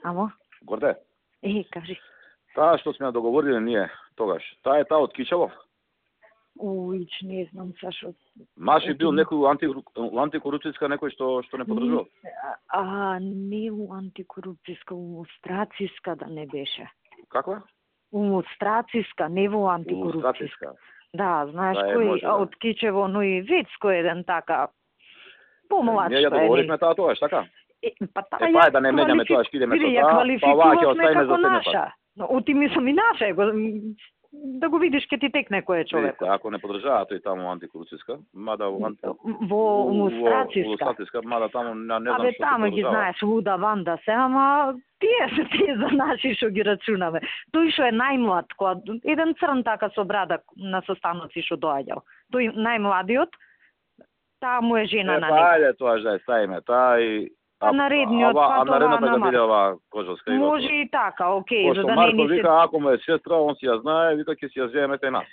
Амо? Горде, Кажи. таа што сме ја договориле ние тогаш, таа е таа од Кичелов? Уич, не знам Сашо. Маши бил некој антикорупцијска некој што не подржува? Не у антикорупцијска, у страциска да не беше. Каква? У страциска, не во антикорупцијска. Да, знаеш кој од Кичево, но и Вецко еден така помлад. Ние ја договоривме таа тогаш, така? Па да не менјаме тоа, што идеме со ја таа, па ваќе квалификувавме оставиме како за наша. Оти мислам и наша, да го видиш ке ти текне кој е човекот. Ако не подржава тој таму антикорупцијска, мада во страциска, мада таму не знам што. Таму ги знаеш луда ванда се, ама тие за наши што ги рачунаме. Тој што е најмлад, еден црн така со брада на состаноци што доаѓал. Тој најмладиот, таа му е жена на него. Ајде тоа да ставиме, таа и наредниот наредната да биде оваа Кожовска. Може и така, окей, за да не Марко ни се... вика, ако му е сестра, он си ја знае, вика ќе си ја земете нас.